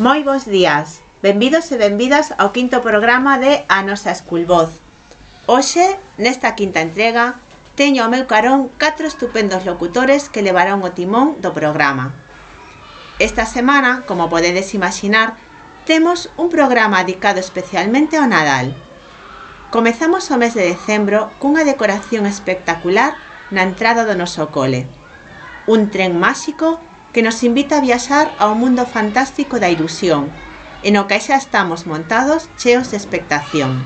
Moi bons días, benvidos e benvidas ao quinto programa de A Nosa Esculvoz. Hoxe, nesta quinta entrega, teño ao meu carón 4 estupendos locutores que levarán o timón do programa. Esta semana, como podedes imaginar, temos un programa dedicado especialmente ao Nadal. Comezamos o mes de decembro cunha decoración espectacular na entrada do noso cole. Un tren máxico que nos invita a viaxar ao mundo fantástico da ilusión, e no que xa estamos montados cheos de expectación.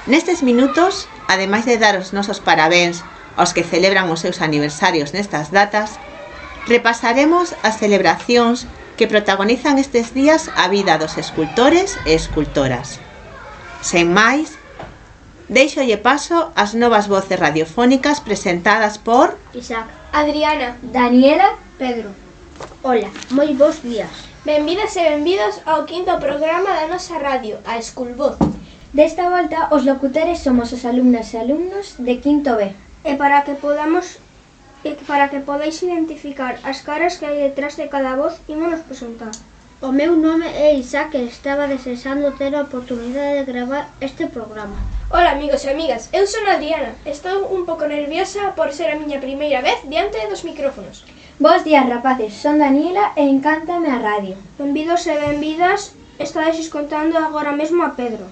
Nestes minutos, ademais de dar os nosos parabéns aos que celebran os seus aniversarios nestas datas, repasaremos as celebracións que protagonizan estes días a vida dos escultores e escultoras. Sen máis, deixolle paso ás novas voces radiofónicas presentadas por Isaac, Adriana, Daniela, Pedro. Hola, moi bons días. Benvidas e benvidos ao quinto programa da nosa radio, a Esculvoz. Desta volta, os locutores somos os alumnas e alumnos de quinto B. E para que podáis identificar as caras que hai detrás de cada voz, ímonos presentar. O meu nome é Isaac e estaba desexando ter a oportunidade de gravar este programa. Hola amigos e amigas, eu son Adriana. Estou un pouco nerviosa por ser a miña primeira vez diante dos micrófonos. Bos días, rapaces, son Daniela e encántame a radio. Benvidos e benvidas, estades escoitando agora mesmo a Pedro.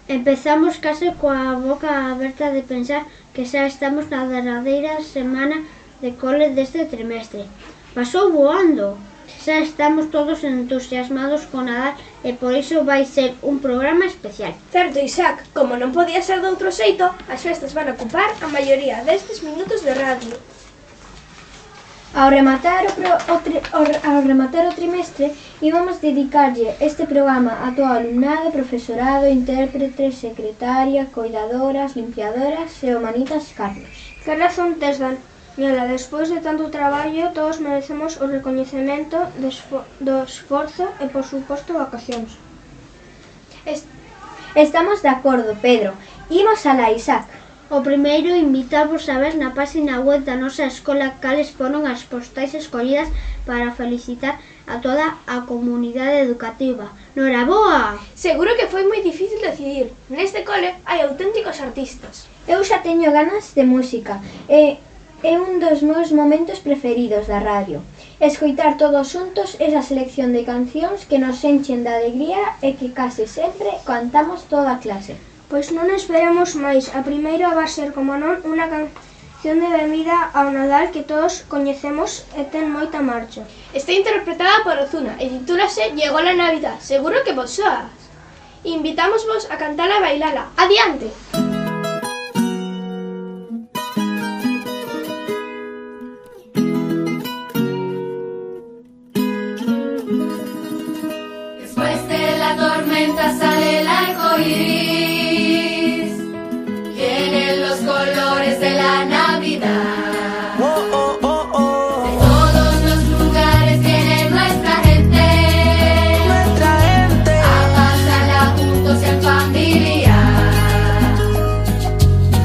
Empezamos case coa boca aberta de pensar que xa estamos na derradeira semana de cole deste trimestre. Pasou voando! Xa estamos todos entusiasmados con Nadal e por iso vai ser un programa especial. Certo, Isaac, como non podía ser de outro xeito, as festas van a ocupar a maioría destes minutos de radio. Ao rematar o trimestre, íbamos dedicarlle este programa a todo alumnado, profesorado, intérpretes, secretaria, coidadoras, limpiadoras e o manitas Carlos. Que razón tes, Daniela, despois de tanto traballo, todos merecemos o recoñecemento do esforzo e, por suposto, vacacións. Estamos de acordo, Pedro. Imos alá, Isaac. O primeiro, invitamos a ver na página web da nosa escola cales foron as postais escollidas para felicitar a toda a comunidade educativa. Noraboa! Seguro que foi moi difícil decidir. Neste cole hai auténticos artistas. Eu xa teño ganas de música e é un dos meus momentos preferidos da radio. Escoitar todos xuntos esa selección de cancións que nos enchen de alegría e que case sempre cantamos toda a clase. Pois non esperamos máis. A primeira vai ser, como non, unha canción de benvida ao Nadal que todos coñecemos e ten moita marcha. Está interpretada por Ozuna e titúlase Llegó la Navidad. Seguro que vos soas. Invitámosvos a cantala e bailala. Adiante! Después de la tormenta sale el arco iris. Colores de la Navidad. De todos los lugares viene nuestra gente a pasarla juntos en familia.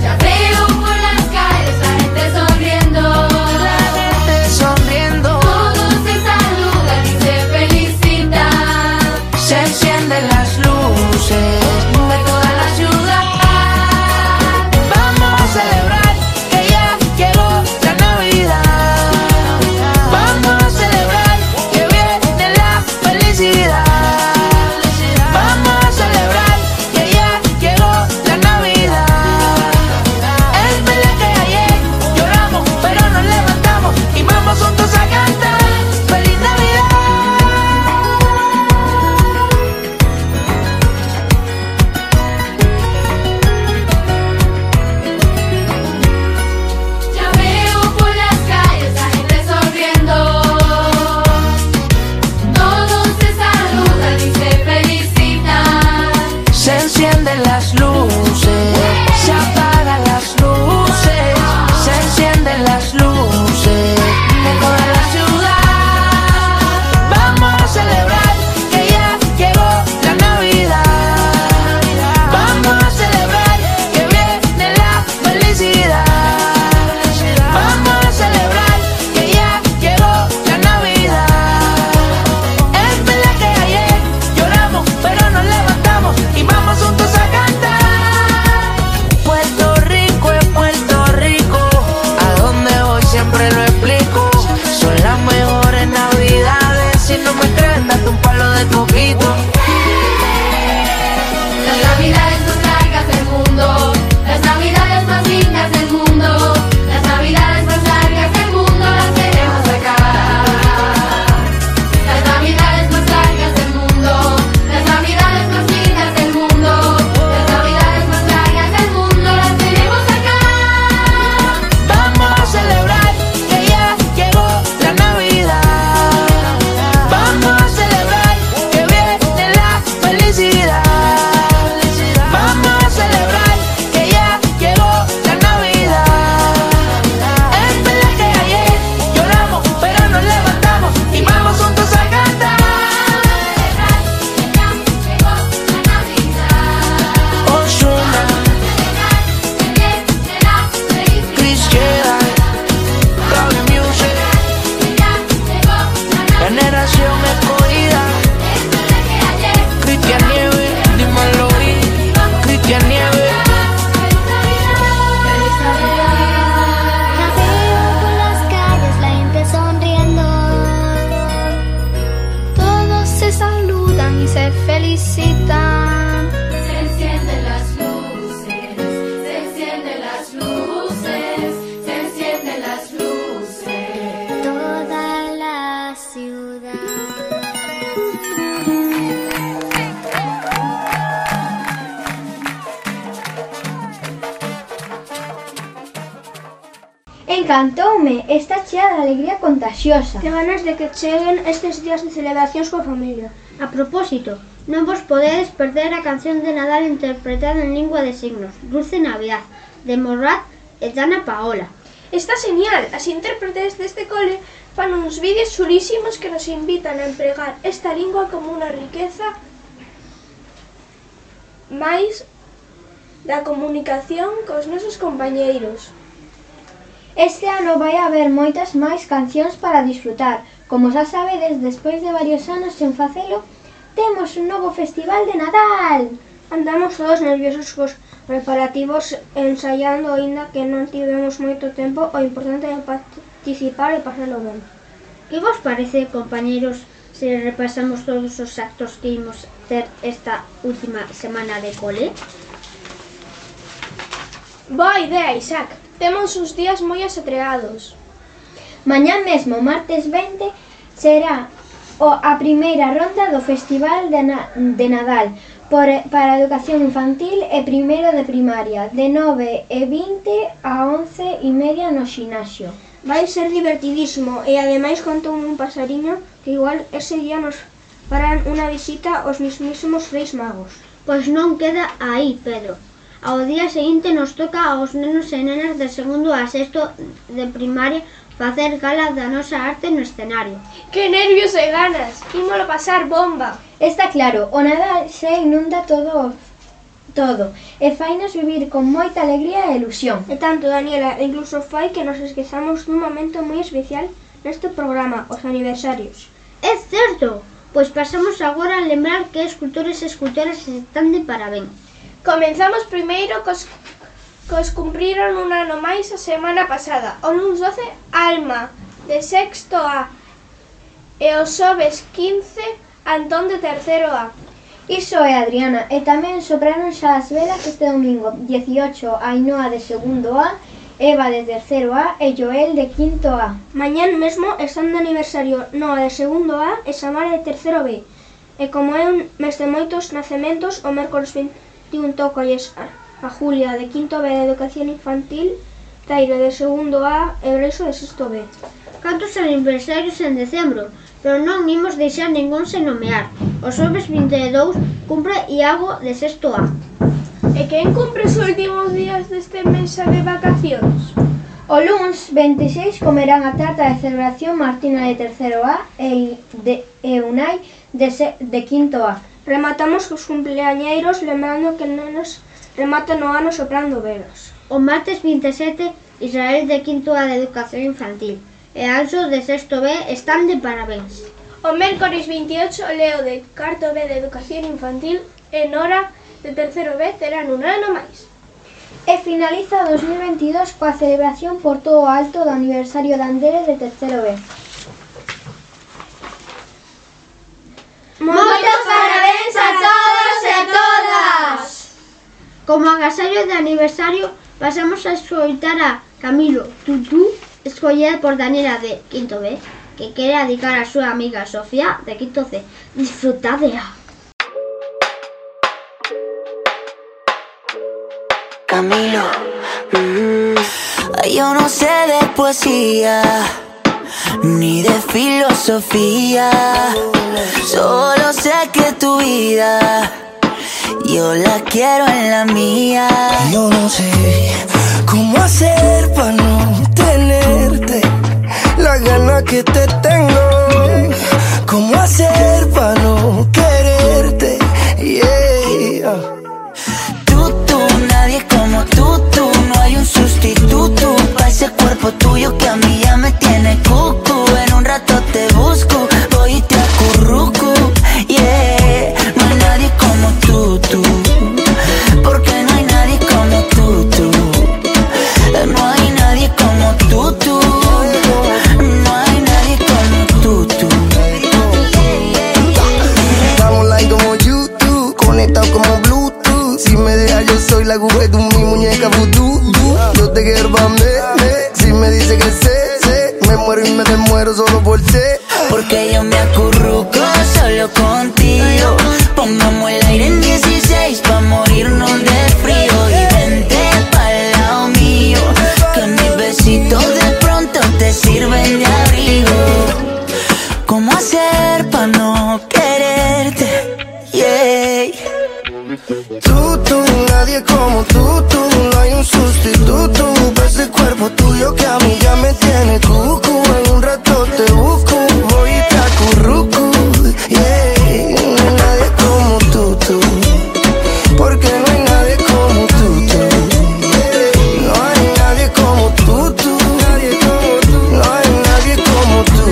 Ya veo por las calles la gente sonriendo, todos se saludan y se felicitan. Se encienden las luces de toda la ciudad. Celebrar que ya llegó la Navidad. Vamos a celebrar que viene la felicidad. Vamos a celebrar que ya llegó la Navidad. Es verdad que ayer lloramos, pero nos levantamos y vamos juntos a cantar. ¡Feliz Navidad! Encantoume, está chea de alegría contagiosa. Que ganas de que cheguen estes días de celebracións coa familia. A propósito, non vos podedes perder a canción de Nadal interpretada en lingua de signos, Dulce Navidad, de Morat e Ana Paola. Está genial, as intérpretes deste cole fan uns vídeos chulísimos que nos invitan a empregar esta lingua como unha riqueza máis da comunicación cos nosos compañeiros. Este ano vai haber moitas máis cancións para disfrutar. Como xa sabedes, despois de varios anos sen facelo, temos un novo festival de Nadal. Andamos todos nerviosos cos preparativos ensaiando, aínda que non tivemos moito tempo, o importante é participar e pasalo ben. Que vos parece, compañeros, se repasamos todos os actos que imos ter esta última semana de cole? Boa idea, Isaac. Temos uns días moi asetreados. Mañá mesmo, martes 20, será a primeira ronda do Festival de Nadal para a educación infantil e primeiro de primaria, de 9:20 a 11:30 no ximnasio. Vai ser divertidísimo e ademais contoume un pasariño que igual ese día nos farán unha visita aos mismísimos Reis Magos. Pois non queda aí, Pedro. Ao día seguinte nos toca aos nenos e nenas de segundo a sexto de primaria facer gala da nosa arte no escenario. Que nervios e ganas! Ímolo pasar bomba! Está claro, o Nadal se inunda todo e fainos vivir con moita alegría e ilusión. E tanto, Daniela, incluso fai que nos esquezamos dun momento moi especial neste programa, os aniversarios. É certo! Pois pasamos agora a lembrar que escultores e escultoras están de parabéns. Comenzamos primeiro cos cumpriron un ano máis a semana pasada. O luns 12, Alma, de sexto A. E o xoves 15, Antón, de terceiro A. Iso é, Adriana, e tamén sopraron xa as velas este domingo 18, Ainhoa, de segundo A, Eva, de terceiro A e Joel, de quinto A. Mañán mesmo están de aniversario Noa, de segundo A, e Samara, de terceiro B. E como é un mes de moitos nacementos, o mércoles 21 tócolles a Julia, de quinto B, de educación infantil, Tairo, de segundo A e Breixo, de sexto B. Cantos aniversarios en decembro, pero non imos deixar ningún sen nomear. O xoves 22 cumpre Iago, de sexto A. E quen cumpre os últimos días deste mes de vacacións? O luns 26 comerán a tarta de celebración Martina, de terceiro A e Unai, de quinto A. Rematamos cos cumpleañeiros, lembrando que nenos rematan o ano soprando velas. O martes 27, Israel, de quinto A, de educación infantil, e Anxo, de sexto B, están de parabéns. O mércoles 28, Leo, de cuarto B, de educación infantil, e Nora, de terceiro B, terán un ano máis. E finaliza o 2022 coa celebración por todo o alto do aniversario de Andere, de terceiro B. Moitos parabéns a todos e todas! Como agasallo de aniversario, pasamos a escoitar a Camilo Tutú, escollida por Daniela, de quinto B, que quere dedicar a súa amiga Sofía, de quinto C. Disfrutadea! Camilo, yo no sé de poesía ni de filosofía, solo sé que tu vida yo la quiero en la mía. Yo no sé cómo hacer para no tenerte la gana que te tengo, cómo hacer para no quererte, yeah. Nadie como tú, no hay un sustituto para ese cuerpo tuyo que a mí ya me tiene cucu. En un rato te busco, voy y te acurruco, yeah. No hay nadie como tú, porque no hay nadie como tú. No hay nadie como tú, no hay nadie como tú. Estamos like como YouTube, conectados como Bluetooth. Si me dejas yo soy la Google, tú mi muñeca vudú. Yo te quiero pa' mí, si me dice que sé, me muero y me desmuero solo por ti. Porque yo me acurruco solo contigo. Pongamos el aire en 16 pa' morirnos de frío. Y vente pa'l lado mío, que mis besitos de Tú, nadie como tú, no hay un sustituto para ese cuerpo tuyo que a mí ya me tiene cucu. En un rato te busco, voy y te acurruco, yeah. No hay nadie como tú, porque no hay nadie como tú, yeah. No hay nadie como tú, nadie como tú, no hay nadie como tú,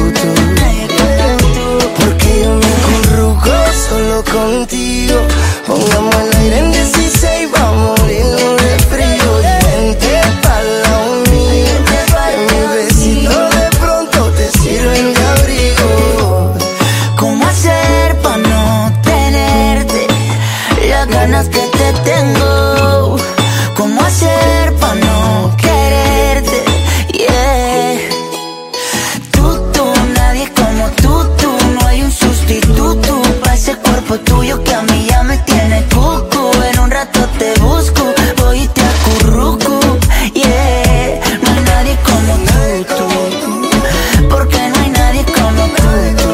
porque yo me acurruco solo contigo. Pongamos el aire en 16, vamos a morirnos de frío. Y vente pa'l lado mío, que mis besitos de pronto te sirven de abrigo. ¿Cómo hacer pa' no tenerte las ganas que te tengo? ¿Cómo hacer pa' no quererte? Yeah. Tú, nadie como tú, no hay un sustituto para ese cuerpo tuyo que a mí ya me tiene cucu. En un rato te busco, voy y te acurruco, yeah. No hay nadie como tú, porque no hay nadie como tú.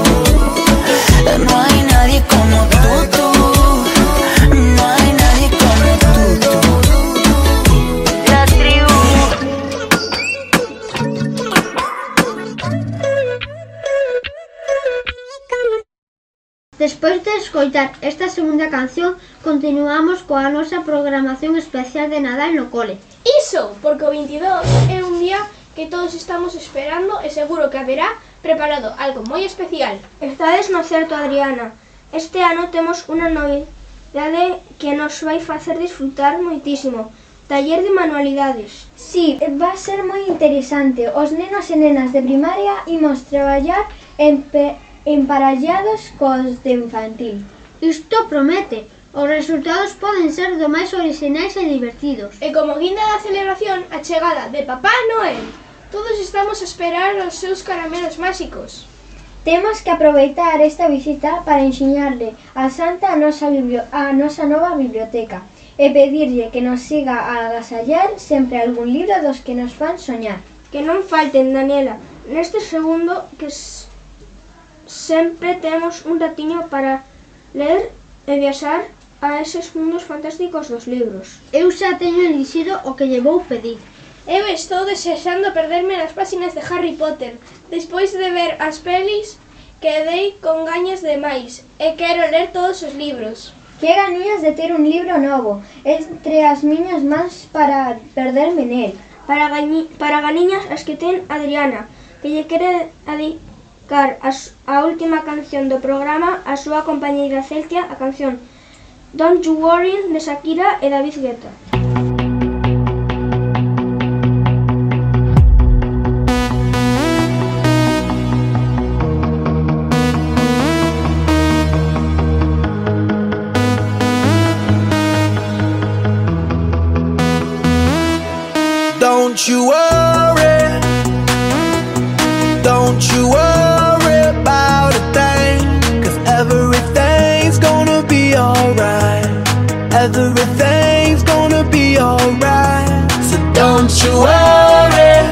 No hay nadie como tú, no hay nadie como tú. La tribu. Despois de escoitar esta segunda canción, continuamos coa nosa programación especial de Nadal no cole. Iso, porque o 22 é un día que todos estamos esperando e seguro que haberá preparado algo moi especial. Estades no certo, Adriana. Este ano temos unha novidade que nos vai facer disfrutar moitísimo. Taller de manualidades. Sí, va a ser moi interesante. Os nenos e nenas de primaria imos traballar emparallados cos de infantil. Isto promete. Os resultados poden ser do máis orixinais e divertidos. E como guinda da celebración, a chegada de Papá Noel. Todos estamos a esperar os seus caramelos máxicos. Temos que aproveitar esta visita para ensiñarle a Santa a nosa nova biblioteca e pedirlle que nos siga a agasallar sempre algún libro dos que nos fan soñar. Que non falten, Daniela. Neste segundo que sempre temos un ratiño para ler e viaxar a eses mundos fantásticos dos libros. Eu xa teño elixido o que lle vou pedir. Eu estou desexando perderme nas páxinas de Harry Potter. Despois de ver as pelis, quedei con gañas de máis e quero ler todos os libros. Que ganiñas de ter un libro novo entre as miñas mans para perderme nel. Para ganiñas as que ten Adriana, que lle quere dedicar a última canción do programa a súa compañeira Celtia, a canción Don't You Worry de Shakira e David Guetta. Don't you worry, don't you worry about a thing, 'cause everything's gonna be alright, everything's gonna be alright. So don't you worry,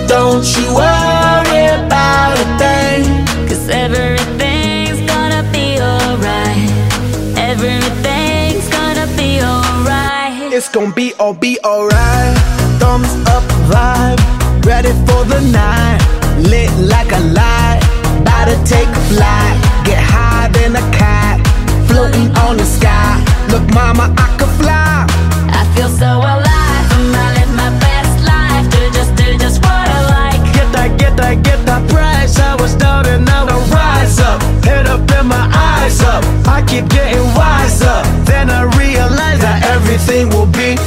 don't you worry about a thing, 'cause everything's gonna be alright, everything's gonna be alright. It's gonna be alright. Thumbs up vibe, ready for the night, lit like a light, about to take a flight, get higher than a cat, floating on the sky. Look mama, I could fly, I feel so alive, I live my best life, do just what I like. Get that price, I was down and now I rise up, head up and my eyes up, I keep getting wiser, then I realize that everything will be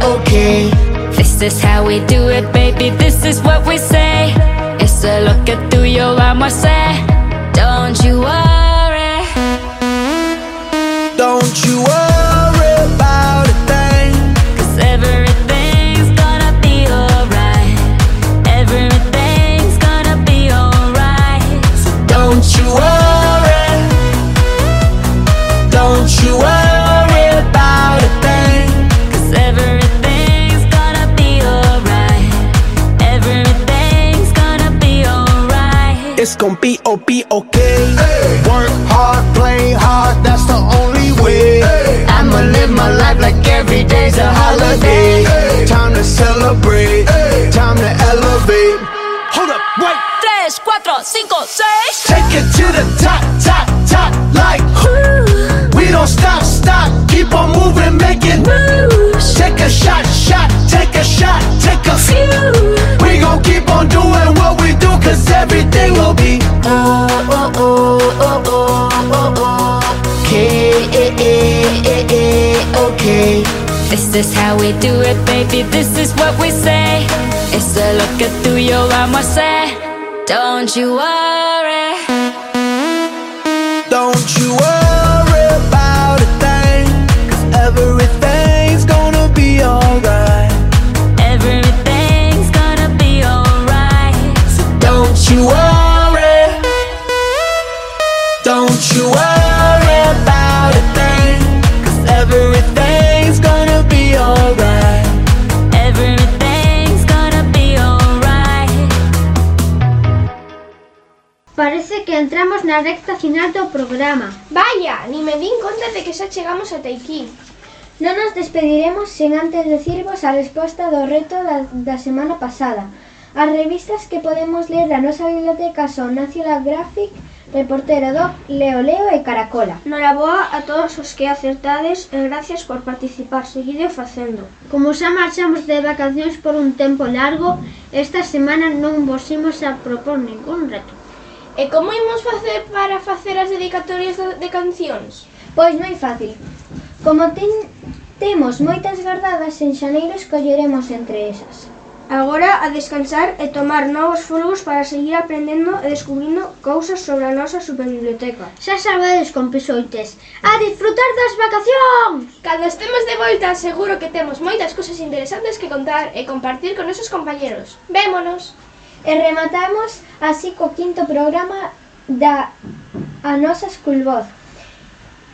okay. This is how we do it, baby, this is what we say. It's a lo que tú y yo vamos a hacer. Don't you worry, don't you worry about a thing, 'cause everything's gonna be alright, everything's gonna be alright. So don't you worry, don't you worry about a thing, 'cause everything's gonna be alright, everything's gonna be alright. it's gon' be okay. Work hard, play hard, that's the only way. I'ma live my life like every day's a holiday. Time to celebrate, time to elevate. Hold up, wait. 3, 4, 5, 6. Take it to the top, top, top, like we don't stop, keep on moving, making moves. Take a shot, take a shot, take a few. We gon' keep on doing what we do, cause everything will be okay. This is how we do it, baby, this is what we say. It's a lo que tú y yo vamos a hacer. Don't you worry. Don't you worry about a thing, cause everything's gonna be alright. Everything's gonna be alright. So don't you worry. Don't you worry about a thing, cause everything's gonna be alright. Everything's gonna be alright. Parece que entramos na recta final do programa. Vaya, ni me din conta de que xa chegamos ata aquí. Non nos despediremos sen antes decirvos a resposta do reto da semana pasada. As revistas que podemos ler da nosa biblioteca son National Geographic, Reportero Doc, Leo Leo e Caracola. Noraboa a todos os que acertades e gracias por participar, seguide facendo. Como xa marchamos de vacacións por un tempo largo, esta semana non vos imos a propor ningún reto. E como imos facer para facer as dedicatorias de cancións? Pois moi fácil. Como temos moitas gardadas, en xaneiro escolleremos entre esas. Agora a descansar e tomar novos folgos para seguir aprendendo e descubrindo cousas sobre a nosa superbiblioteca. Xa sabedes, compisoites, a disfrutar das vacacións! Cando estemos de volta, seguro que temos moitas cousas interesantes que contar e compartir con nosos compañeros. Vémonos! E rematamos así co 5º programa da A Nosa Esculvoz.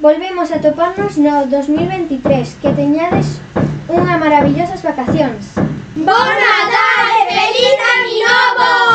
Volvemos a toparnos no 2023. Que teñades unha maravillosas vacacións. Bon Nadal e Feliz Ano Novo!